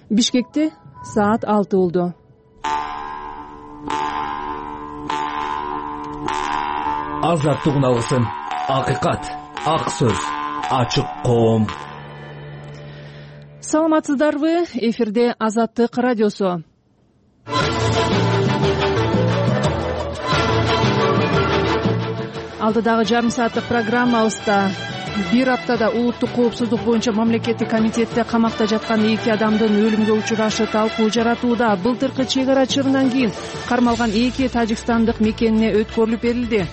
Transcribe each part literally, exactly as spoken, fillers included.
Бишкекте саат алты болду. Азаттык алсын, акыйкат, ак сөз, ачык коом. Саламатсыздарбы? Эфирде Азаттык радиосу. Алдыдагы жарым сааттык программабызда бир аптада улуттук коопсуздук боюнча мамлекеттик комитетте камакта жаткан эки адамдын өлүмгө учурашы талкуу жаратууда. Былтыркы чек ара чырынан кийин кармалган эки тажикстандык мекенине өткөрүлүп берилди.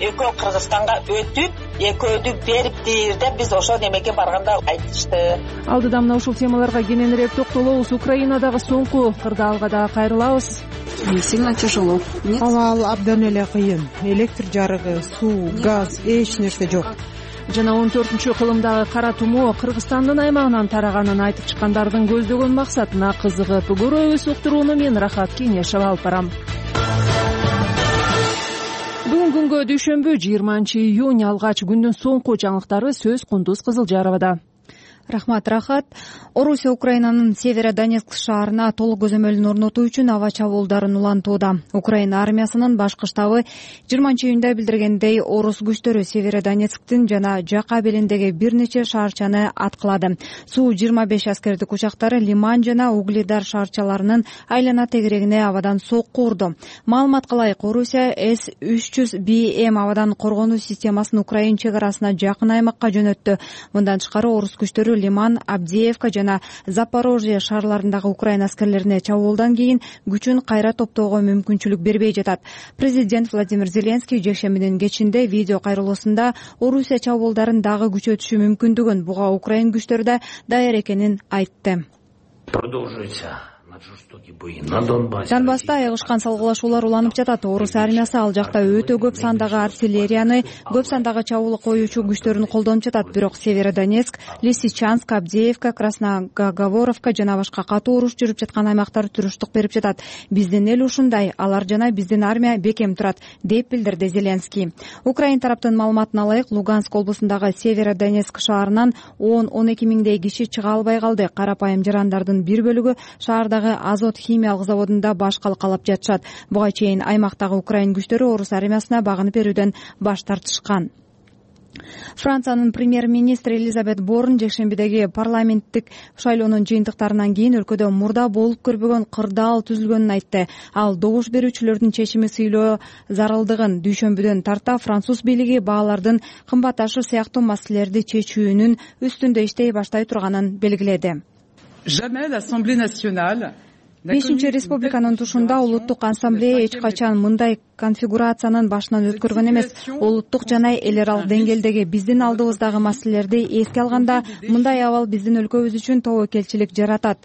Экөө Кыргызстанга өтүп, экөөдү бериптир деп биз ошол немеге барганда айтышты. Алдыда мына ушул темаларга кененирээк токтолобуз. Украинадагы соңку кырдаалга дагы кайрылабыз. Сильно тяжело. Абал абдан эле кыйын. Электр жарыгы, суу, газ, эч нерсе жок. Жана он төртүнчү кылымдагы кара тумоо Кыргызстандын аймагынан тараганын айтып чыккандардын көздөгөн максатына кызыгып көрөбүз. Уктурууну мен Рахат Кеңешева алып барам. Бүгүн күнгө дүйшөмбү жыйырманчы июнь, алгач күндүн соңку жаңылыктары сөз Кундуз Кызылжаровада. Рахмат, Рахат. Орусия Украинанын Северодонецк шаарына толук көзөмөлүн орнотуу үчүн аба чабуулдарын улантууда. Украина армиясынын башкы штабы жыйырманчы июнда билдиргендей, орус күчтөрү Северодонецктин жана жака белиндеги бир нече шаарчаны аткылады. Суу жыйырма беш аскердик учактары Лиман жана Угледар шаарчаларынын айлана тегерегине абадан сокку урду. Маалыматка ылайык, Орусия эс үч жүз би эм абадан коргонуу системасын Украина чек арасына жакын аймакка жөнөттү. Мындан тышкары орус күчтөрү Лиман, Абдеевка жана Запорожье шаарларындагы Украина аскерлерине чабуулдан кийин күчүн кайра топтоого мүмкүнчүлүк бербей жатат. Президент Владимир Зеленский жекшембинин кечинде видео кайрылуусунда Орусия чабуулдарын дагы күчөтүшү мүмкүндүгүн, буга Украина күчтөрү да даяр экенин айтты. Продолжуйся. Донбасста айыгышкан салгылашуулар уланып жатат. Орус армиясы ал жакта өтө көп сандагы артиллерияны, көп сандагы чабуул коюучу күчтөрүн колдонуп жатат. Бирок Северодонецк, Лисичанск, Абдеевка, Красногаговоровка жана башка катуу уруш жүрүп жаткан аймактар туруштук берип жатат. Биздин эл ушундай, алар жана биздин армия бекем турат, деп билдирди Зеленский. Украина тараптын маалыматына ылайык, Луганск облусундагы Северодонецк шаарынан он он эки миңдей киши чыга албай калды. Карапайым жарандардын бир бөлүгү шаардагы Азот химиялык заводунда баш калкалап жатышат. Буга чейин аймактагы Украина күчтөрү орус армиясына багынып берүүдөн баш тартышкан. Франциянын премьер-министри Элизабет Борн жекшембидеги парламенттик шайлоонун жыйынтыктарынан кийин өлкөдө мурда болуп көрбөгөн кырдаал түзүлгөнүн айтты. Ал добуш берүүчүлөрдүн чечими сыйлоо зарылдыгын дүйшөмбүдөн тарта француз бийлиги баалардын кымбатташы сыяктуу маселелерди чечүүнүн үстүндө иштей баштай турганын белгиледи. Бешинчи республиканын тушунда улуттук ассамблея эч качан мындай конфигурациянын башынан өткөргөн эмес. Улуттук жана эл аралык деңгээлдеги биздин алдыбыздагы маселелерди эске алганда, мындай абал биздин өлкөбүз үчүн тобокелчилик жаратат,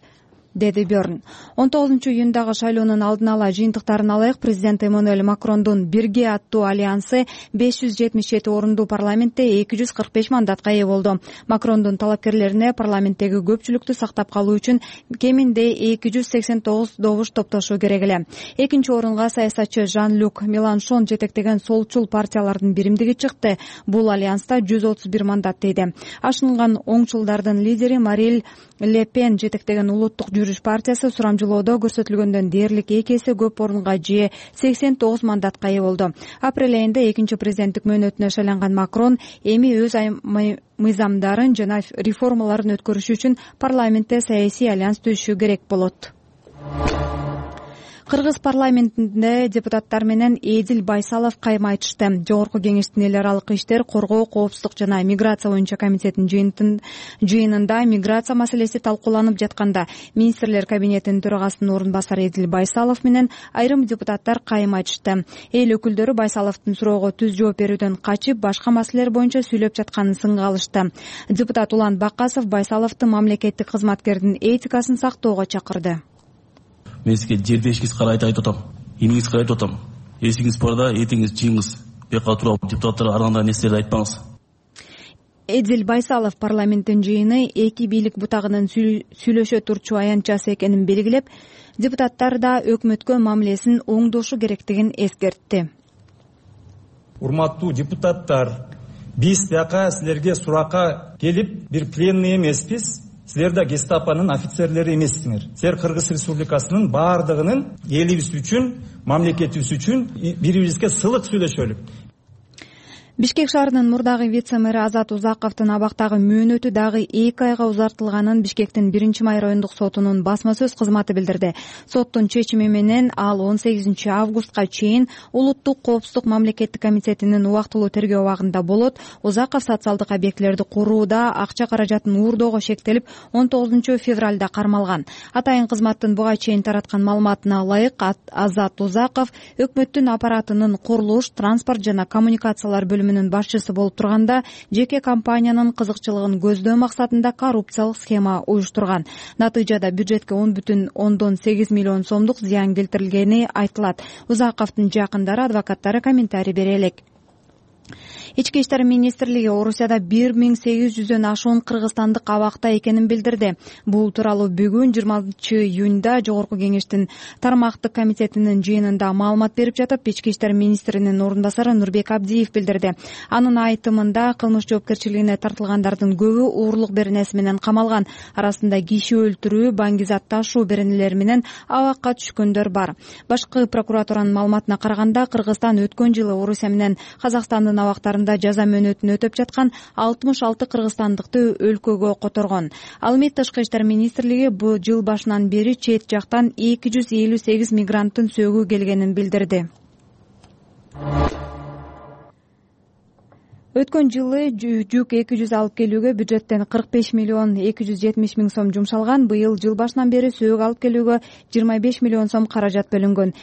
деди Бёрн. он тогузунчу июндагы шайлоонун алдын ала жыйынтыктарына ылайык, президент Эммануэль Макрондун Бирге аттуу альянсы беш жүз жетимиш жети орунду парламентте эки жүз кырк беш мандатка ээ болду. Макрондун талапкерлерине парламенттеги көпчүлүктү сактап калуу үчүн кеминде эки жүз сексен тогуз добуш топтошу керек эле. Экинчи орунга саясатчы Жан-Люк Меланшон жетектеген солчул партиялардын биримдиги чыкты. Бул альянста жүз отуз бир мандат дейди. Ашынган оңчулдардын лидери Марин Ле Пен жетектеген улуттук жүрүш партиясы сурамжылоодо көрсөтүлгөндөн дээрлик эки эсе көп орунга же сексен тогуз мандатка ээ болду. Апрель айында экинчи президенттик мөөнөтүнө шайланган Макрон эми өз мыйзамдарын жана реформаларын өткөрүш үчүн парламентте саясий альянс түзүшү керек болот. Кыргыз парламентинде депутаттар менен Эдил Байсалов кайым айтышты. Жогорку кеңештин эл аралык иштер, коргоо, коопсуздук жана миграция боюнча комитетинин жыйынында миграция маселеси талкууланып жатканда министрлер кабинетинин төрагасынын орун басары Эдил Байсалов менен айрым депутаттар кайым айтышты. Эл өкүлдөрү Байсаловдун суроого түз жооп берүүдөн качып, башка маселелер боюнча сүйлөп жатканын сынга алышты. Депутат Улан Бакасов Байсаловду мамлекеттик кызматкердин этикасын сактоого чакырды. Мен сизге жердешкиз карайт айтып атам, иниңиз карайт атам. Эсиңиз барда, этиңиз жиңиз. Бека туруп депутаттар арганда нерселерди айтпаңыз. Эдил Байсалов парламенттин жыйыны эки бийлик бутагынын сүйлөшө турчу аянтчасы экенин белгилеп, депутаттар да өкмөткө мамилесин оңдошу керектигин эскертти. Урматтуу депутаттар, биз бияка силерге суракка келип, бир пленный эмеспиз. силер да гестапонун офицерлери эмессиңер. Силер Кыргыз Республикасынын баардыгынын элибиз үчүн, мамлекетибиз үчүн бири бирибизге сылык сүйлөшөлү. Бишкек шаарынын мурдагы вице-мэри Азат Узаковдун абактагы мөөнөтү дагы эки айга узартылганын Бишкектин биринчи май райондук сотунун басма сөз кызматы билдирди. Соттун чечими менен ал он сегизинчи августка чейин Улуттук коопсуздук мамлекеттик комитетинин убактылуу тергөө абагында болот. Узаков социалдык объектилерди курууда акча каражатын уурдоого шектелип, он тогузунчу февралда кармалган. Атайын кызматтын буга чейин тараткан маалыматына ылайык, Азат Узаков өкмөттүн аппаратынын курулуш, транспорт жана коммуникациялар бөлүмүнүн башчысы болуп турганда, жеке компаниянын кызыкчылыгын көздөө максатында коррупциялык схема уюштурган. Натыйжада бюджетке он бүтүн ондон сегиз миллион сомдук зыян келтирилгени айтылат. Узаковдун жакындары, адвокаттары комментарий бере элек. Ички иштер министрлиги Орусияда бир миң сегиз жүздөн ашуун кыргызстандык абакта экенин билдирди. Бул тууралуу бүгүн жыйырма алтынчы июнда Жогорку кеңештин тармактык комитетинин жыйынында маалымат берип жатып, ички иштер министринин орун басары Нурбек Абдиев билдирди. Анын айтымында кылмыш жоопкерчилигине тартылгандардын көбү уурлук беренеси менен камалган. Арасында киши өлтүрүү, баңгизат ташуу беренелери менен абакка түшкөндөр бар. Башкы прокуратуранын маалыматына караганда, Кыргызстан өткөн жылы Орусия менен Казакстандын абактарында жаза мөөнөтүн өтөп жаткан алтымыш алты кыргызстандыкты өлкөгө которгон. Ал эми Тышкы иштер министрлиги бул жыл башынан бери чет жактан эки жүз элүү сегиз мигранттын сөөгү келгенин билдирди. Өткөн жылы жүк эки жүз алып келүүгө бюджеттен кырк беш миллион эки жүз жетимиш миң сом жумшалган. Быйыл жыл башынан бери сөөгү алып келүүгө жыйырма беш миллион сом каражат бөлүнгөн.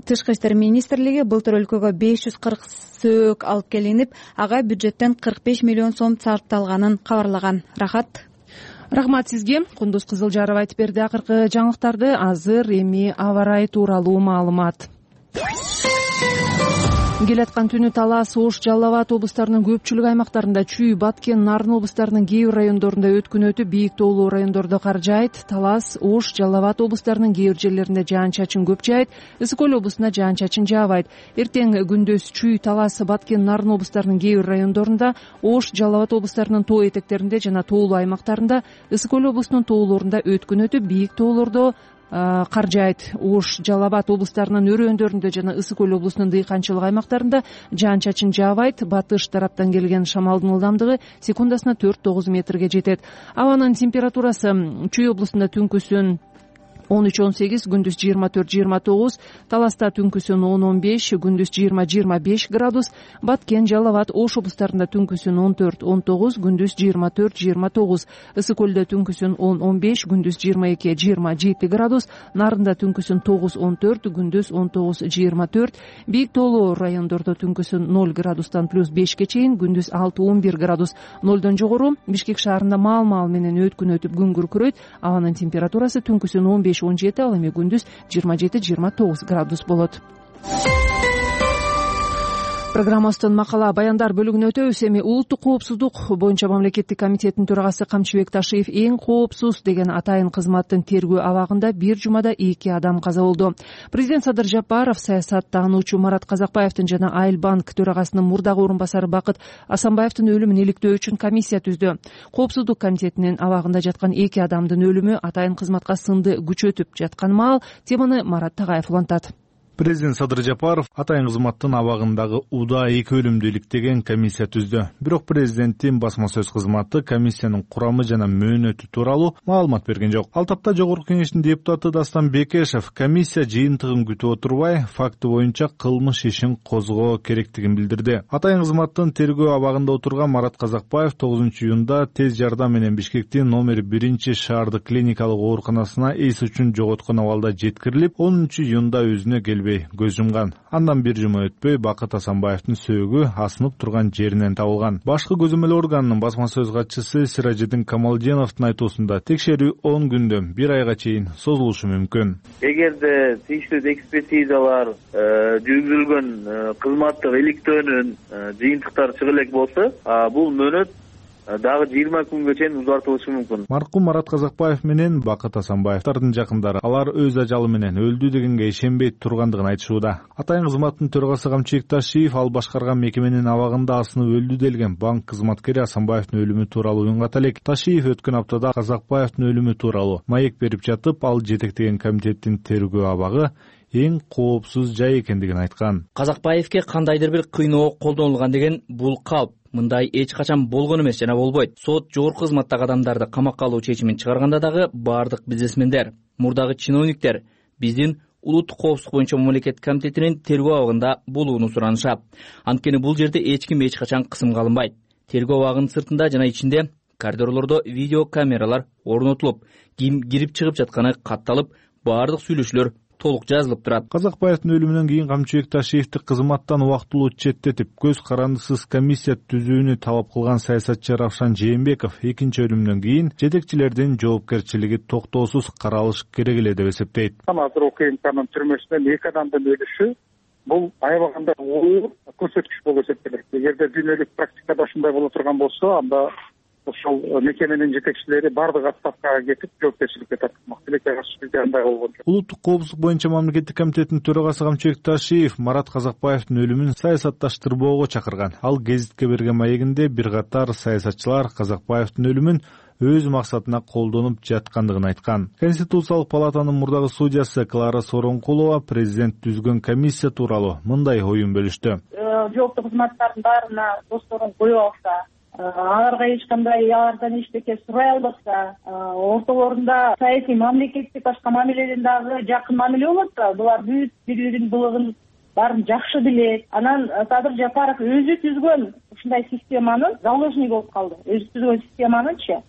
Тышкы иштер министрлиги былтыр өлкөгө беш жүз кырк сөөгү алып келинип, ага бюджеттен кырк беш миллион сом сарпталганын кабарлаган. Рахат. Рахмат сизге. Кундуз Кызылжарова айтып берди акыркы жаңылыктарды. Азыр эми аба ырайы тууралуу маалымат. Келаткан түнү Талас, Ош, Жалал Абад облустарынын көпчүлүк аймактарында, Чүй, Баткен, Нарын облустарынын кээ бир райондорунда өткүн өтүп, бийик тоолуу райондордо кар жаайт. Талас, Ош, Жалал Абад облустарынын кээ бир жерлеринде жаан-чачын көп жаайт. Ысык Көл облусунда жаан-чачын жаабайт. Эртең күндөз Чүй, Талас, Баткен, Нарын облустарынын кээ бир райондорунда, Ош, Жалал Абад облустарынын тоо этектеринде жана тоолуу аймактарында, Ысык Көл облусунун тоолорунда өткүн өтүп, бийик тоолордо кар жаайт. Ош, Жалал Абад облустарынын өрөөндөрүндө жана Ысык Көл облусунун дыйканчылык аймактарында жаан-чачын жаабайт. Батыш тараптан келген шамалдын ылдамдыгы секундасына төрт тогуз метрге жетет. Абанын температурасы Чүй облусунда түнкүсүн он үч он сегиз, күндүз жыйырма төрт жыйырма тогуз, Таласта түнкүсүн он он беш, күндүз жыйырма жыйырма беш градус, Баткен, Жалал Абад, Ош облустарында түнкүсүн он төрт он тогуз, күндүз жыйырма төрт жыйырма тогуз, Ысык Көлдө түнкүсүн он он беш, күндүз жыйырма эки жыйырма жети градус, Нарында түнкүсүн тогуз он төрт, күндүз он тогуз жыйырма төрт, бийик тоолуу райондордо түнкүсүн ноль градустан плюс бешке чейин, күндүз алты он бир градус. Нолдон жогору Бишкек шаарында маал-маал менен өткүн өтүп күн күркүрөйт. Абанын температурасы түнкүсүн он беш он жети, ал эми күндүз жыйырма жети жыйырма тогуз градус болот. Программабыздын макала баяндар бөлүгүнө өтөбүз. Эми улуттук коопсуздук боюнча мамлекеттик комитеттин төрагасы Камчыбек Ташиев эң коопсуз деген атайын кызматтын тергөө абагында бир жумада эки адам каза болду. Президент Садыр Жапаров саясаттануучу Марат Казакбаевдин жана Айыл банк төрагасынын мурдагы орун басары Бакыт Асанбаевдин өлүмүн иликтөө үчүн комиссия түздү. Коопсуздук комитетинин абагында жаткан эки адамдын өлүмү атайын кызматка сынды күчөтүп жаткан маал. Теманы Марат Тагаев улантат. Президент Садыр Жапаров атайын кызматтын абагындагы уда эки өлүмдү иликтеген комиссия түздү. Бирок президенттин басма сөз кызматы комиссиянын курамы жана мөөнөтү тууралуу маалымат берген жок. Ал тапта Жогорку кеңештин депутаты Дастан Бекешев комиссия жыйынтыгын күтүп отурбай, факты боюнча кылмыш ишин козгоо керектигин билдирди. Атайын кызматтын тергөө абагында отурган Марат Казакбаев тогузунчу июнда тез жардам менен Бишкектин номер биринчи шаардык клиникалык ооруканасына эс үчүн жоготкон абалда жеткирилип, онунчу июнда өзүнө келбей көз жумган. Андан бир жума өтпөй Бакыт Асанбаевдин сөөгү асынып турган жеринен табылган. Башкы көзөмөл органынын басма сөз катчысы Сиражидин Камалдиновдун айтуусунда текшерүү он күндөн бир айга чейин созулушу мүмкүн. Эгерде тийиштүү экспертизалар жүргүзүлгөн кызматтык иликтөөнүн жыйынтыктары чыга элек болсо, бул мөөнөт дагы жыйырма күнгө чейин узартылышы мүмкүн. Маркум Марат Казакбаев менен Бакыт Асанбаевдин жакындары алар өз ажалы менен өлдү дегенге ишенбей тургандыгын айтышууда. Атайын кызматтын төрагасы Камчыбек Ташиев ал башкарган мекеменин абагында асынып өлдү делген банк кызматкери Асанбаевдин өлүмү тууралуу уюнгат элек. Ташиев өткөн аптада Казакбаевдин өлүмү тууралуу маек берип жатып, ал жетектеген комитеттин тергөө абагы эң коопсуз жай экендигин айткан. Казакбаевке кандайдыр бир кыйноо колдонулган деген бул калп. Мындай эч качан болгон эмес жана болбойт. Сот жогорку кызматтагы адамдарды камакка алуу чечимин чыгарганда дагы бардык бизнесмендер, мурдагы чиновниктер биздин улуттук коопсуздук боюнча мамлекет комитетинин тергөө абагында болууну суранышат. Анткени бул жерде эч ким эч качан кысымга алынбайт. Тергөө абагынын сыртында жана ичинде коридорлордо видео камералар орнотулуп, ким кирип чыгып жатканы катталып, бардык сүйлөшүүлөр толук жазылып турат. Казакбаевдин өлүмүнөн кийин Камчыбек Ташиевди кызматтан убактылуу четтетип, көз карандысыз комиссия түзүүнү талап кылган саясатчы Равшан Жээнбеков экинчи өлүмүнөн кийин жетекчилердин жоопкерчилиги токтоосуз каралыш керек эле деп эсептейт. Азыр УКМКнын түрмөсүнөн эки адамдын өлүшү бул аябаганда оор көрсөткүч болуп эсептелет. Эгерде дүйнөлүк практикада ушундай боло турган болсо, анда ошол мекеменин жетекчилери бардык отставкага кетип жоопкерчиликке тартылмак. Тилекке каршы бизде андай болгон жок. Улуттук коопсуздук боюнча мамлекеттик комитеттин төрагасы Камчыбек Ташиев Марат Казакбаевдин өлүмүн саясатташтырбоого чакырган. Ал гезитке берген маегинде бир катар саясатчылар Казакбаевдин өлүмүн өз максатына колдонуп жаткандыгын айткан. Конституциялык палатанын мурдагы судьясы Клара Сооронкулова президент түзгөн комиссия тууралуу мындай оюн бөлүштү. Жооптуу кызматтардын баарына досторун коюп алса, аларга эч кандай алардан эчтеке сурай албаса, ортолорунда саясий мамлекеттик башка мамиледен дагы жакын мамиле болот да, булар бүт бири биринин былыгын баарын жакшы билет. Анан Садыр Жапаров өзү түзгөн ушундай системанын заложниги болуп калды. Өзү түзгөн системанынчы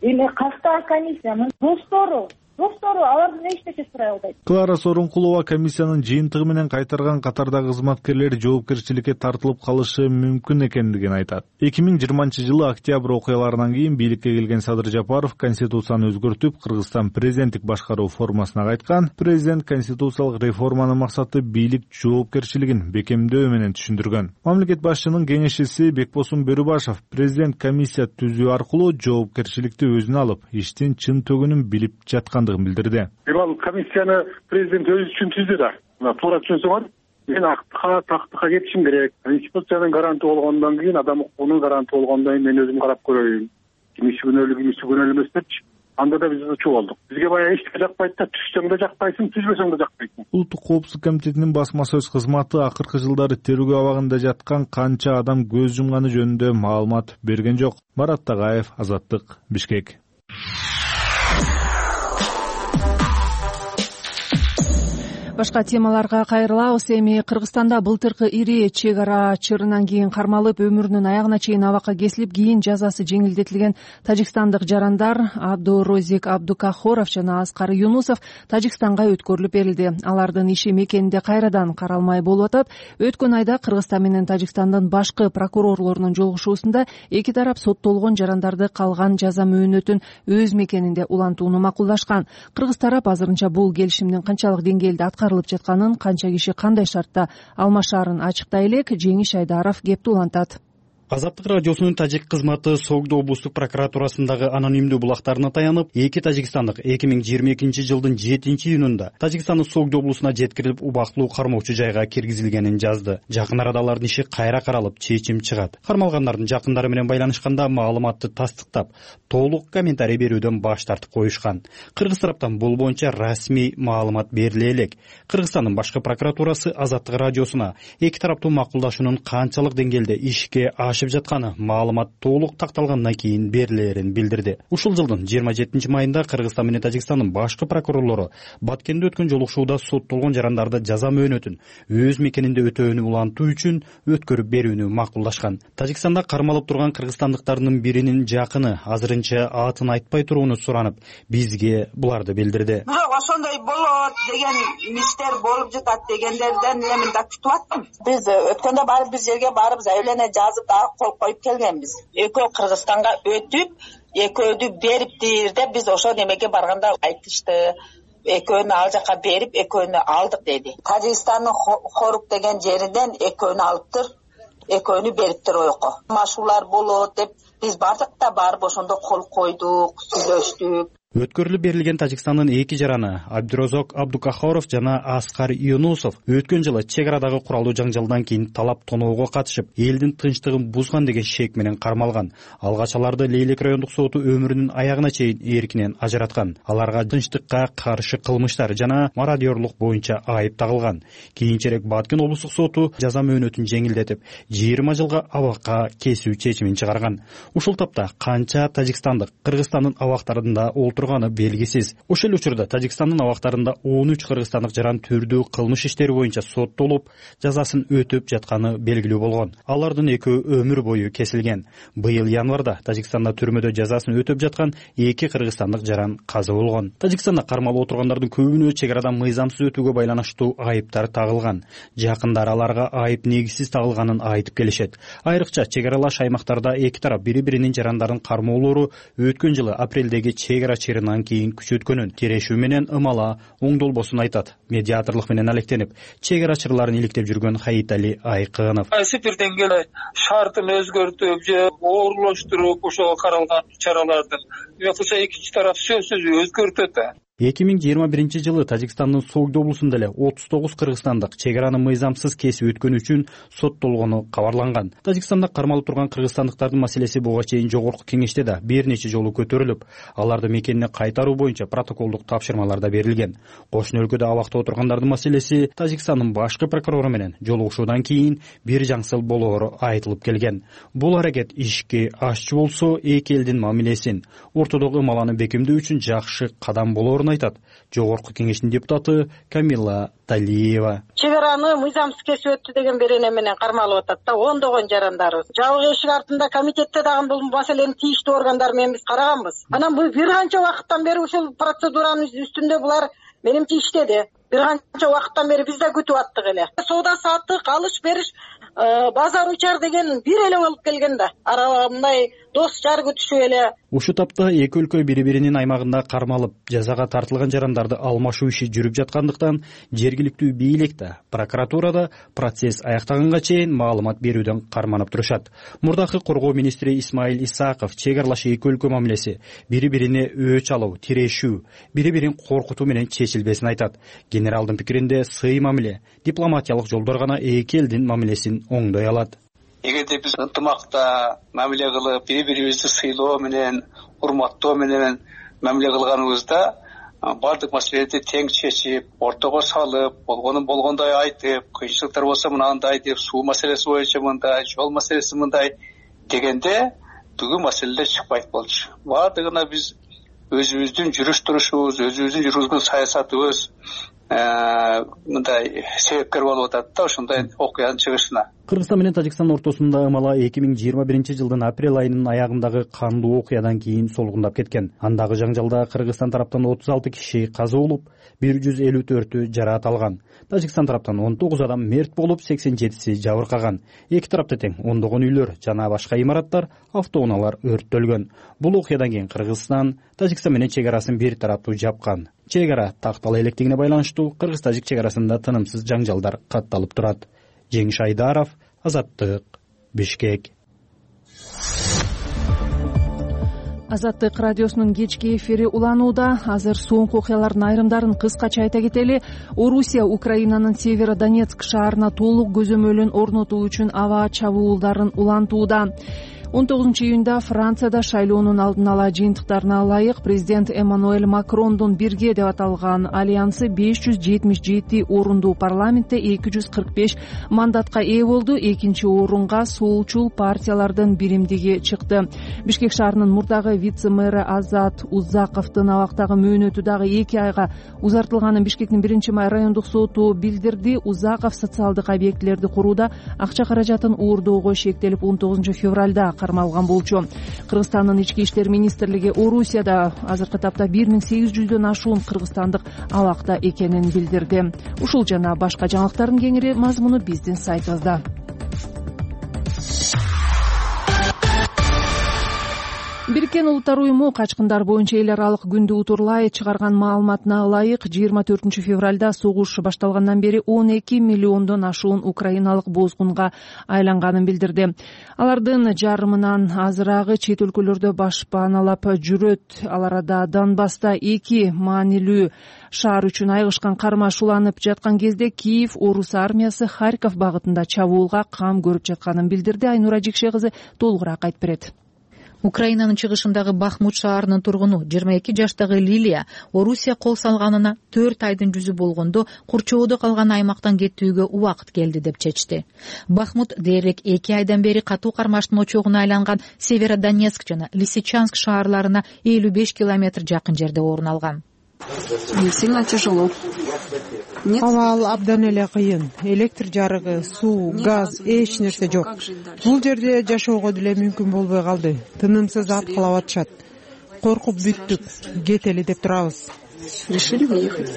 эми кастаа комиссиянын достору достору алардан эчтеке сурай албайт. Клара Сооронкулова комиссиянын жыйынтыгы менен кайтарган катардагы кызматкерлер жоопкерчиликке тартылып калышы мүмкүн экендигин айтат. эки миң жыйырманчы жылы октябрь окуяларынан кийин бийликке келген Садыр Жапаров конституцияны өзгөртүп, Кыргызстан президенттик башкаруу формасына кайткан. Президент конституциялык реформанын максаты бийлик жоопкерчилигин бекемдөө менен түшүндүргөн. Мамлекет башчынын кеңешчиси Бекбосун Бөрүбашев президент комиссия түзүү аркылуу жоопкерчиликти өзүнө алып, иштин чын төгүнүн билип жаткан билдирди. Ал комиссияны президент өзү үчүн түздү да. Мына туура түшүнсөңөр, мен актыкка, тактыкка кетишим керек. Конституциянын гаранты болгондон кийин, адам укугунун гаранты болгондон кийин мен өзүм карап көрөйүн. Кимиси күнөөлүү, кимиси күнөөлүү эмес депчи. Анда да биз учуп болдук. Бизге баягы эч жакпайт да, түшсөң да жакпайсың, түзбөсөң да жакпайсың. Улуттук коопсуздук комитетинин басма сөз кызматы акыркы жылдары тергөө абагында жаткан канча адам көз жумганы жөнүндө маалымат берген жок. Марат Тагаев, Азаттык, Бишкек. Башка темаларга кайрылабыз. Эми Кыргызстанда былтыркы ири чек ара чырынан кийин кармалып, өмүрүнүн аягына чейин абакка кесилип, кийин жазасы жеңилдетилген тажикстандык жарандар Абдурозик Абдукахоров жана Аскар Юнусов Тажикстанга өткөрүлүп берилди. Алардын иши мекенинде кайрадан каралмай болуп атат. Өткөн айда Кыргызстан менен Тажикстандын башкы прокурорлорунун жолугушуусунда эки тарап соттолгон жарандарды калган жаза мөөнөтүн өз мекенинде улантууну макулдашкан. Кыргыз тарап азырынча бул келишимдин канчалык деңгээлде аткарылып жатканын, канча киши кандай шартта алмашаарын ачыктай элек. Жеңиш Айдаров кепти улантат. Азаттык радиосунун тажик кызматы Согдо облустук прокуратурасындагы анонимдүү булактарына таянып, эки тажикстандык эки миң жыйырма экинчи жылдын жетинчи июнунда Тажикстандын Согдо облусуна жеткирилип, убактылуу кармоочу жайга киргизилгенин жазды. Жакын арада алардын иши кайра каралып, чечим чыгат. Кармалгандардын жакындары менен байланышканда маалыматты тастыктап, толук комментарий берүүдөн баш тартып коюшкан. Кыргыз тараптан бул боюнча расмий маалымат бериле элек. Кыргызстандын башкы прокуратурасы Азаттык радиосуна эки тараптуу макулдашуунун канчалык деңгээлде ишке жатканы маалымат толук такталгандан кийин берилерин билдирди. Ушул жылдын жыйырма жетинчи майында Кыргызстан менен Тажикстандын башкы прокурорлору Баткенде өткөн жолугушууда соттолгон жарандарды жаза мөөнөтүн өз мекенинде өтөөнү улантуу үчүн өткөрүп берүүнү макулдашкан. Тажикстанда кармалып турган кыргызстандыктардын биринин жакыны азырынча атын айтпай турууну суранып, бизге буларды билдирди. Бирок ошондой болот деген иштер болуп жатат дегендерден мен да күтүп аттым. Биз өткөндө барып бир жерге барып заявление жазып кол коюп келгенбиз. Экөө Кыргызстанга өтүп, экөөдү бериптир деп биз ошо немеге барганда айтышты. Экөөнү ал жака берип, экөөнү алдык деди. Тажикстандын Хорук деген жеринен экөөнү алыптыр, экөөнү бериптир ойко. Машуулар болот деп биз бардык да барып ошондо кол койдук, сүйлөштүк. Өткөрүлүп берилген Тажикстандын эки жараны Абдурозок Абдукахоров жана Аскар Юнусов өткөн жылы чек арадагы куралдуу жаңжалдан кийин талап тоноого катышып, элдин тынчтыгын бузган деген шек менен кармалган. Алгач аларды Лейлек райондук соту өмүрүнүн аягына чейин эркинен ажыраткан. Аларга тынчтыкка каршы кылмыштар жана мародёрлук боюнча айып тагылган. Кийинчерээк Баткен облустук соту жаза мөөнөтүн жеңилдетип, жыйырма жылга абакка кесүү чечимин чыгарган. Ушул тапта канча тажикстандык Кыргызстандын абактарында турганы белгисиз. Ошол учурда Тажикстандын абактарында он үч кыргызстандык жаран түрдүү кылмыш иштери боюнча соттолуп, жазасын өтөп жатканы белгилүү болгон. Алардын экөө өмүр бою кесилген. Быйыл январда Тажикстанда түрмөдө жазасын өтөп жаткан эки кыргызстандык жаран каза болгон. Тажикстанда кармалып отургандардын көбүнө чек арадан мыйзамсыз өтүүгө байланыштуу айыптар тагылган. Жакындар аларга айып негизсиз тагылганын айтып келишет. Айрыкча чек аралаш аймактарда эки тарап бири-биринин жарандарын кармоолору өткөн жылы апрелдеги чек ара чыгымынан кийин күчөткөнүн, тирешүү менен ымала оңдолбосун айтат. Медиаторлук менен алектенип, чек арачыларын иликтеп жүргөн Хаитали Айкынов. Кайсы бир деңгээлде шартын өзгөртүп же оорлоштуруп ошого каралган чараларды жоксо экинчи тарап сөзсүз өзгөртөт. эки миң жыйырма биринчи жылы Тажикстандын Согд облусунда эле отуз тогуз кыргызстандык чек араны мыйзамсыз кесип өткөнү үчүн соттолгону кабарланган. Тажикстанда кармалып турган кыргызстандыктардын маселеси буга чейин жогорку кеңеште да бир нече жолу көтөрүлүп, аларды мекенине кайтаруу боюнча протоколдук тапшырмалар да берилген. Кошуна өлкөдө абакта отургандардын маселеси Тажикстандын башкы прокурору менен жолугушуудан кийин бир жаңсыл болоору айтылып келген. Бул аракет ишке ашчу болсо, эки элдин мамилесин, ортодогу ымаланы бекемдөө үчүн жакшы кадам болоорун айтат жогорку кеңештин депутаты Камила Талиева. Чек араны мыйзамсыз кесип өттү деген берене менен кармалып атат да ондогон жарандарыбыз. Жабык эшик артында комитетте дагы бул маселени тийиштүү органдар менен биз караганбыз. Анан бул бир канча убакыттан бери ушул процедуранын үстүндө булар менимче иштеди. Бир канча убакыттан бери биз да күтүп аттык эле. Соода саттык, алыш бериш, базар учар деген бир эле болуп келген да. Арага мындай дос жар күтүшүп эле. Ушул тапта эки өлкө бири-биринин аймагында кармалып, жазага тартылган жарандарды алмашуу иши жүрүп жаткандыктан жергиликтүү бийлик да, прокуратура да процесс аяктаганга чейин маалымат берүүдөн карманып турушат. Мурдакы коргоо министри Исмаил Исаков чек аралаш эки өлкө мамилеси бири-бирине өч алуу, тирешүү, бири-бирин коркутуу менен чечилбесин айтат. Генералдын пикиринде сый мамиле, дипломатиялык жолдор гана эки элдин мамилесин оңдой алат. Эгерде биз ынтымакта мамиле кылып, бири-бирибизди сыйлоо менен, урматтоо менен мамиле кылганыбызда бардык маселелерди тең чечип, ортого салып, болгонун болгондой айтып, кыйынчылыктар болсо мынандай деп, суу маселеси боюнча мындай, жол маселеси мындай дегенде бүгүн маселелер чыкпайт болчу. Бардыгына биз өзүбүздүн жүрүш турушубуз, өзүбүздүн жүргүзгөн саясатыбыз мындай себепкер болуп атат да ошондой окуянын чыгышына. Кыргызстан менен Тажикстан ортосунда ымала эки миң жыйырма биринчи жылдын апрель айынын аягындагы кандуу окуядан кийин солгундап кеткен. Андагы жаңжалда Кыргызстан тараптан отуз алты киши каза болуп, бир жүз элүү төртү жараат алган. Тажикстан тараптан он тогуз адам мерт болуп, сексен жетиси жабыркаган. Эки тарапта тең ондогон үйлөр жана башка имараттар, автоунаалар өрттөлгөн. Бул окуядан кийин Кыргызстан Тажикстан менен чек арасын бир тараптуу жапкан. Чек ара тактала электигине байланыштуу кыргыз-тажик чек арасында тынымсыз жаңжалдар катталып турат. Жеңиш Айдаров, Азаттык, Бишкек. Азаттык радиосунун кечки эфири уланууда. Азыр соңку окуялардын айрымдарын кыскача айта кетели. Орусия Украинанын Северодонецк шаарына толук көзөмөлүн орнотуу үчүн аба чабуулдарын улантууда. он тогузунчу июнда Францияда шайлоонун алдын ала жыйынтыктарына ылайык президент Эммануэль Макрондун бирге деп аталган альянсы беш жүз жетимиш жети орундуу парламентте эки жүз кырк беш мандатка ээ болду. Экинчи орунга солчул партиялардын биримдиги чыкты. Бишкек шаарынын мурдагы вице-мэры Азат Узаковдун абактагы мөөнөтү дагы эки айга узартылганын Бишкектин биринчи май райондук соту билдирди. Узаков социалдык объектилерди курууда акча каражатын уурдоого шектелип он тогузунчу февралда кармалган болчу. Кыргызстандын ички иштер министрлиги Орусияда азыркы тапта бир миң сегиз жүздөн ашуун кыргызстандык абакта экенин билдирди. Ушул жана башка жаңылыктардын кеңири мазмуну биздин сайтыбызда. Бириккен Улуттар уюму качкындар боюнча эл аралык күндү утурлай чыгарган маалыматына ылайык жыйырма төртүнчү февралда согуш башталгандан бери он эки миллиондон ашуун украиналык бозгунга айланганын билдирди. Алардын жарымынан азырагы чет өлкөлөрдө башпааналап жүрөт. Ал арада Донбасста эки маанилүү шаар үчүн айгышкан кармаш уланып жаткан кезде Киев орус армиясы Харьков багытында чабуулга кам көрүп жатканын билдирди. Айнура Жекше кызы толугураак айтып берет. Украинанын чыгышындагы Бахмут шаарынын тургуну жыйырма эки жаштагы Лилия Орусия кол салганына төрт айдын жүзү болгондо курчоодо калган аймактан кетүүгө убакыт келди деп чечти. Бахмут дээрлик эки айдан бери катуу кармаштын очогуна айланган Северодонецк жана Лисичанск шаарларына элүү беш километр жакын жерде орун алган. Сильно тяжело. Абал абдан эле кыйын. Электр жарыгы, суу, газ, эч нерсе жок. Бул жерде жашоого деле мүмкүн болбой калды. Тынымсыз аткылап атышат. Коркуп бүттүк. Кетели деп турабыз. Решили выехать.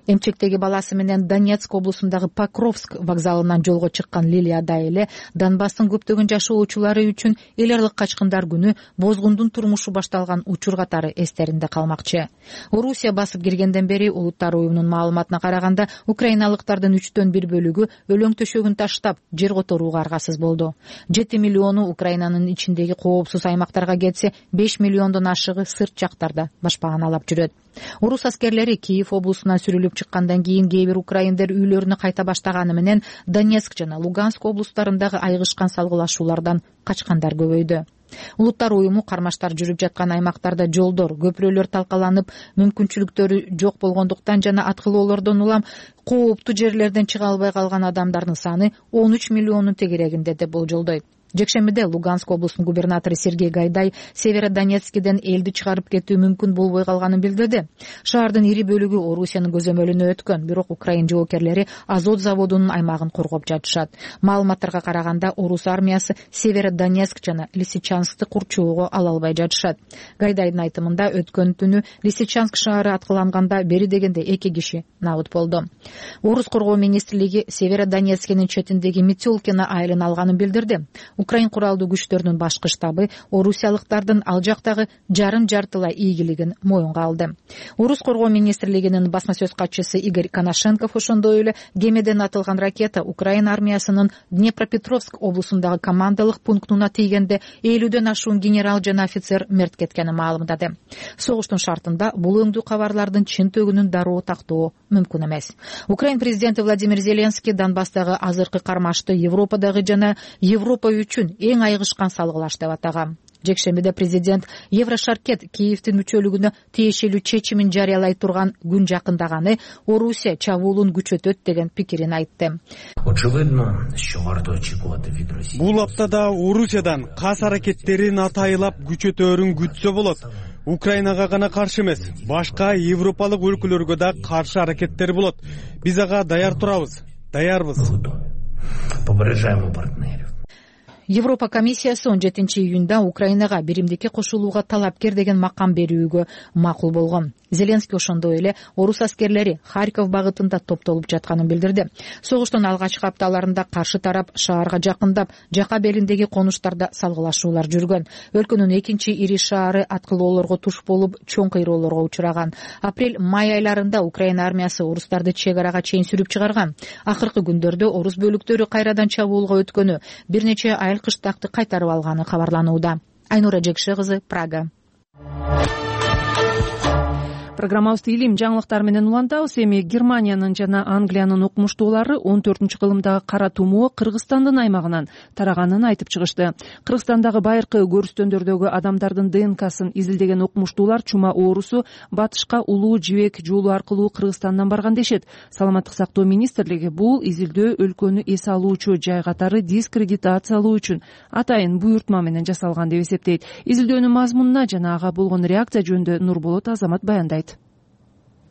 Эмчектеги баласы менен Донецк облусундагы Покровск вокзалынан жолго чыккан Лилияда эле Донбасстын көптөгөн жашоочулары үчүн эл аралык качкындар күнү бозгундун турмушу башталган учур катары эстеринде калмакчы. Орусия басып киргенден бери Улуттар уюмунун маалыматына караганда украиналыктардын үчтөн бир бөлүгү өлөң төшөгүн таштап жер которууга аргасыз болду. жети миллиону Украинанын ичиндеги коопсуз аймактарга кетсе, беш миллиондон ашыгы сырт жактарда башпааналап жүрөт. Орус аскерлери Киев облусунан сүрүлүп чыккандан кийин кээ бир украиндер үйлөрүнө кайта баштаганы менен Донецк жана Луганск облустарындагы айгышкан салгылашуулардан качкандар көбөйдү. Улуттар уюму кармаштар жүрүп жаткан аймактарда жолдор, көпүрөлөр талкаланып, мүмкүнчүлүктөрү жок болгондуктан жана аткылоолордон улам кооптуу жерлерден чыга албай калган адамдардын саны он үч миллиондун тегерегинде деп болжолдойт. Жекшембиде Луганск облусунун губернатору Сергей Гайдай Северодонецкиден элди чыгарып кетүү мүмкүн болбой калганын билдирди. Шаардын ири бөлүгү Орусиянын көзөмөлүнө өткөн, бирок Украин жоокерлери Азот заводунун аймагын коргоп жатышат. Маалыматтарга караганда Орус армиясы Северодонецк жана Лисичанскты курчоого ала албай жатышат. Гайдайдын айтымында өткөн түнү Лисичанск шаары аткыланганда бери дегенде эки киши набыт болду. Орус коргоо министрлиги Северодонецкинин четиндеги Метелкино айылын алганын билдирди. Украин куралдуу күчтөрүнүн башкы штабы орусиялыктардын ал жактагы жарым жартылай ийгилигин моюнга алды. Орус коргоо министрлигинин басма сөз катчысы Игорь Коношенков ошондой эле кемеден атылган ракета Украин армиясынын Днепропетровск облусундагы командалык пунктуна тийгенде элүүдөн ашуун генерал жана офицер мерт кеткенин маалымдады. Согуштун шартында бул өңдүү кабарлардын чын төгүнүн дароо тактоо мүмкүн эмес. Украин президенти Владимир Зеленский Донбасстагы азыркы кармашты Европадагы жана Европа үчүн эң айгышкан салгылаш деп атаган. Жекшембиде президент Еврошаркет Киевдин мүчөлүгүнө тиешелүү чечимин жарыялай турган күн жакындаганы Орусия чабуулун күчөтөт деген пикирин айтты. Бул аптада Орусиядан кас аракеттерин атайлап күчөтөөрүн күтсө болот. Украинага гана каршы эмес, башка европалык өлкөлөргө да каршы аракеттер болот. Биз ага даяр турабыз, даярбыз. Европа комиссиясы он жетинчи июнда Украинага биримдикке кошулууга талапкер деген макам берүүгө макул болгон. Зеленский ошондой эле орус аскерлери Харьков багытында топтолуп жатканын билдирди. Согуштун алгачкы апталарында каршы тарап шаарга жакындап, жака белиндеги конуштарда салгылашуулар жүргөн. Өлкөнүн экинчи ири шаары аткылоолорго туш болуп, чоң кыйроолорго учураган. Апрель-май айларында Украина армиясы орустарды чек арага чейин сүрүп чыгарган. Акыркы күндөрдө орус бөлүктөрү кайрадан чабуулга өткөнү, бир нече айыл кыштакты кайтарып алганы кабарланууда. Айнура Жекше кызы, Прага. Программабызды илим жаңылыктар менен улантабыз. Эми Германиянын жана Англиянын окумуштуулары он төртүнчү кылымдагы кара тумоо Кыргызстандын аймагынан тараганын айтып чыгышты. Кыргызстандагы байыркы көрүстөндөрдөгү адамдардын ДНКсын изилдеген окумуштуулар чума оорусу батышка улуу жибек жолу аркылуу Кыргызстандан барган дешет. Саламаттык сактоо министрлиги бул изилдөө өлкөнү эс алуучу жай катары дискредитациялоо үчүн атайын буйртма менен жасалган деп эсептейт. Изилдөөнүн мазмунуна жана ага болгон реакция жөнүндө Нурболот Азамат баяндайт.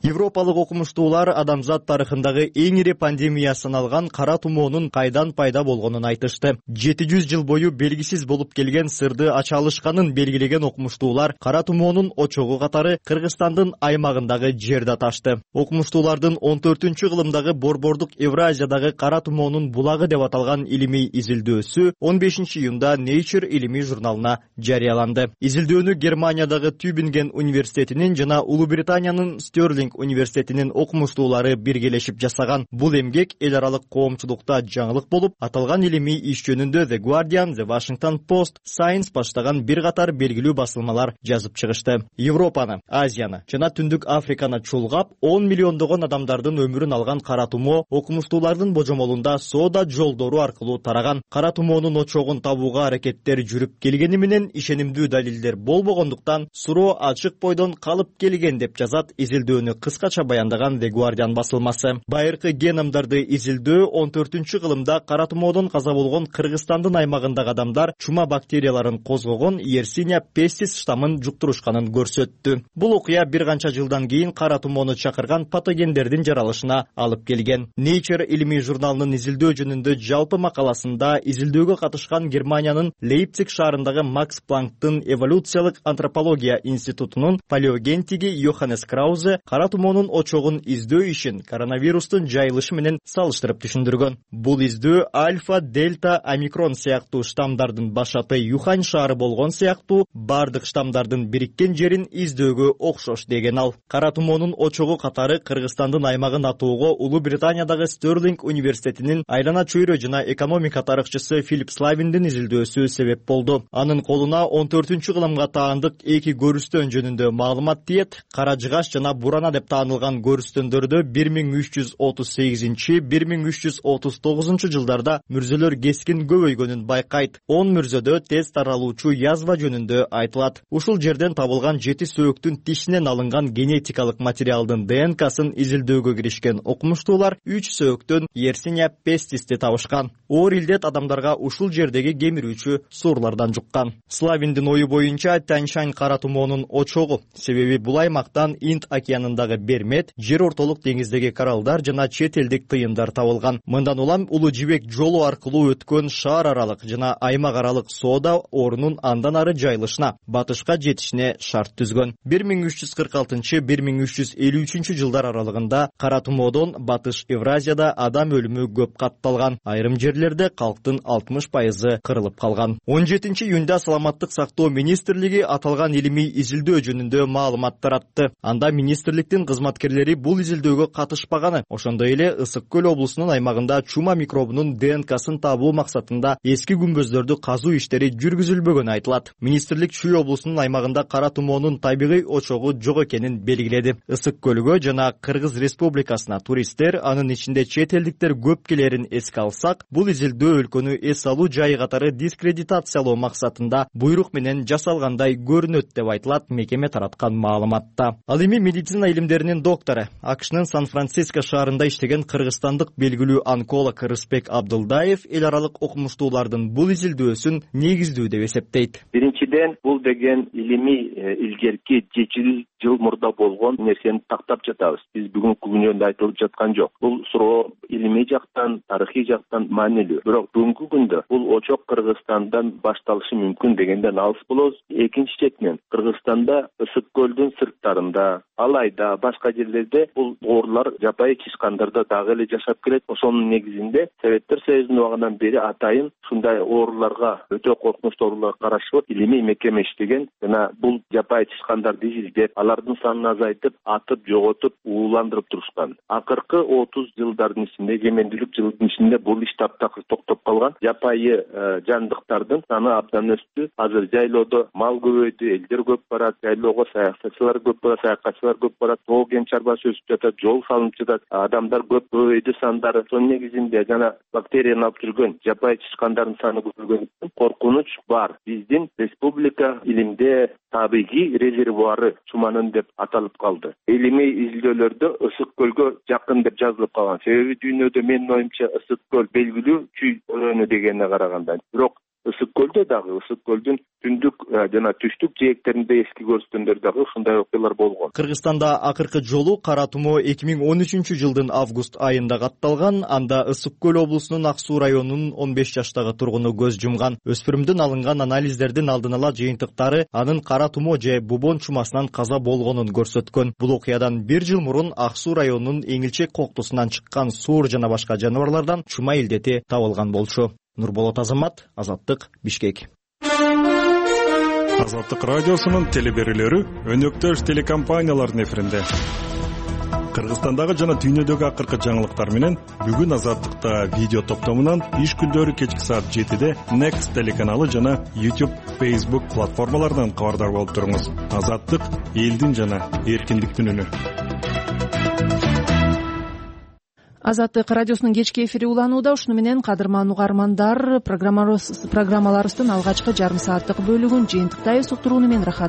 Европалык окумуштуулар адамзат тарыхындагы эң ири пандемия саналган кара тумоонун кайдан пайда болгонун айтышты. жети жүз жыл бою белгисиз болуп келген сырды ача алышканын белгилеген окумуштуулар кара тумоонун очогу катары Кыргызстандын аймагындагы жерди аташты. Окумуштуулардын он төртүнчү кылымдагы борбордук Евразиядагы кара тумоонун булагы деп аталган илимий изилдөөсү он бешинчи июнда Nature илимий журналына жарыяланды. Изилдөөнү Германиядагы Тюбинген университетинин жана Улуу Британиянын Стерлинг университетинин окумуштуулары биргелешип жасаган. Бул эмгек эл аралык коомчулукта жаңылык болуп, аталган илимий иш жөнүндө The Guardian, The Washington Post, Science баштаган бир катар белгилүү басылмалар жазып чыгышты. Европаны, Азияны жана Түндүк Африканы чулгап, он миллиондогон адамдардын өмүрүн алган кара тумоо окумуштуулардын божомолунда соода жолдору аркылуу тараган. Кара тумоонун очогун табууга аракеттер жүрүп келгени менен ишенимдүү далилдер болбогондуктан суроо ачык бойдон калып келген деп жазат изилдөөнү кыскача баяндаган The Guardian басылмасы. Байыркы геномдарды изилдөө он төртүнчү кылымда кара тумоодон каза болгон Кыргызстандын аймагындагы адамдар чума бактерияларын козгогон Yersinia pestis штамын жуктурушканын көрсөттү. Бул окуя бир канча жылдан кийин кара тумоону чакырган патогендердин жаралышына алып келген. Nature илимий журналынын изилдөө жөнүндө жалпы макаласында изилдөөгө катышкан Германиянын Лейпциг шаарындагы Макс Планктын эволюциялык антропология институтунун палеогентиги Йоханнес Краузе кара тумоонун очогун издөө ишин коронавирустун жайылышы менен салыштырып түшүндүргөн. Бул издөө альфа, дельта, омикрон сыяктуу штамдардын башаты Юхань шаары болгон сыяктуу бардык штамдардын бириккен жерин издөөгө окшош деген ал. Кара тумоонун очогу катары Кыргызстандын аймагын атоого Улуу Британиядагы Стерлинг университетинин айлана чөйрө жана экономика тарыхчысы Филипп Славиндин изилдөөсү себеп болду. Анын колуна он төртүнчү кылымга таандык эки көрүстөн жөнүндө маалымат тиет. Кара жыгач жана бурана деп таанылган көрүстөндөрдө бир миң үч жүз отуз сегизинчи бир миң үч жүз отуз тогузунчу жылдарда мүрзөлөр кескин көбөйгөнүн байкайт. он мүрзөдө тез таралуучу язва жөнүндө айтылат. Ушул жерден табылган жети сөөктүн тишинен алынган генетикалык материалдын Д Н К'сын изилдөөгө киришкен окумуштуулар үч сөөктөн Yersinia pestisти табышкан. Оор илдет адамдарга ушул жердеги кемирүүчү суурлардан жуккан. Славиндин ою боюнча Тяньшань кара тумоонун очогу, себеби бул аймактан Инд океанындагы бермет, жер ортолук деңиздеги коралдар жана чет элдик тыйындар табылган. Мындан улам Улуу Жибек жолу аркылуу өткөн шаар аралык жана аймак аралык соода орунун андан ары жайылышына, батышка жетишине шарт түзгөн. бир миң үч жүз кырк алтынчы бир миң үч жүз элүү үчүнчү жылдар аралыгында кара тумоодон Батыш Евразияда адам өлүмү көп катталган. Айрым жерлерде калктын алтымыш пайызы кырылып калган. он жетинчи июнда Саламаттык сактоо министрлиги аталган илимий изилдөө жөнүндө маалымат таратты. Анда министрликтин кызматкерлери бул изилдөөгө катышпаганы, ошондой эле Ысык көл облусунун аймагында чума микробунун Д Н К'сын табуу максатында эски күмбөздөрдү казуу иштери жүргүзүлбөгөнү айтылат. Министрлик Чүй облусунун аймагында кара тумоонун табигый очогу жок экенин белгиледи. Ысык көлгө жана Кыргыз Республикасына туристтер, анын ичинде чет элдиктер көп келерин эске алсак, бул изилдөө өлкөнү эс алуу жайы катары дискредитациялоо максатында буйрук менен жасалгандай көрүнөт деп айтылат мекеме тараткан маалыматта. Ал эми медицина илимдеринин доктору, АКШнын Сан-Франциско шаарында иштеген кыргызстандык белгилүү онколог Рыспек Абдылдаев эл аралык окумуштуулардын бул изилдөөсүн негиздүү деп эсептейт. Биринчиден, бул деген илимий илгерки жети жыл мурда болгон нерсени тактап жатабыз. Биз бүгүнкү күндө айтылып жаткан жок. Бул суроо илимий жактан, тарыхый жактан маанилүү. Бирок бүгүнкү күндө бул очок Кыргызстандан башталышы мүмкүн дегенден алыс болобуз. Экинчи четинен, Кыргызстанда Ысык көлдүн сырттарында, Алайда, башка жерлерде бул оорлар жапайы чычкандарда дагы эле жашап келет. Ошонун негизинде Советтер Союзунун убагынан бери атайын ушундай оорлорго, өтө коркунучтуу оорлорго каршы илимий мекеме иштеген жана бул жапайы чычкандарды изилдеп, алардын санын азайтып, атып, жоготуп, ууландырып турушкан. Акыркы отуз жылдардын ичинде, жемендүүлүк жылдын ичинде бул иш таптакыр токтоп калган. Жапайы жандыктардын саны абдан өстү. Азыр жайлоодо мал көбөйдү, элдер көп барат, жайлоого саякатчылар көп барат, саякатчылар көп барат, тоо кен чарбасы өсүп жатат, жол салынып жатат, адамдар көп көбөйдү сандары. Ошонун негизинде жана бактерияны алып жүргөн жапайы чычкандардын саны көбөйгөндүктөн коркунуч бар. Биздин республика илимде табигый резервуары чуманын деп аталып калды. Илимий изилдөөлөрдө Ысык көлгө жакын деп жазылып калган. Себеби дүйнөдө менин оюмча Ысык көл белгилүү Чүй өрөөнү дегенине караганда. Бирок ысык көлдө дагы ысык көлдүн түндүк жана түштүк жээктеринде эски көрүскөндөр дагы ушундай окуялар болгон. Кыргызстанда акыркы жолу кара тумоо эки миң он үчүнчү жылдын август айында катталган. Анда Ысык көл облусунун Ак Суу районунун он беш жаштагы тургуну көз жумган. Өспүрүмдүн алынган анализдердин алдын ала жыйынтыктары анын кара тумоо же бубон чумасынан каза болгонун көрсөткөн. Бул окуядан бир жыл мурун Ак Суу районунун Эңилчек коктусунан чыккан суур жана башка жаныбарлардан чума илдети табылган болчу. Нурболот Азамат, Азаттык, Бишкек. Азаттык радиосунун телеберүүлөрү өнөктөш телекомпаниялардын эфиринде. Кыргызстандагы жана дүйнөдөгү акыркы жаңылыктар менен бүгүн Азаттыкта видео топтомунан иш күндөрү кечки саат жетиде Next телеканалы жана YouTube, Facebook платформаларынан кабардар болуп туруңуз. Азаттык — элдин жана эркиндиктин үнү. Азаттык радиосунун кечки эфири уланууда. Ушуну менен кадырман угармандар, программаларыбыздын алгачкы жарым сааттык бөлүгүн жыйынтыктайбыз. Уктурууну мен Рахат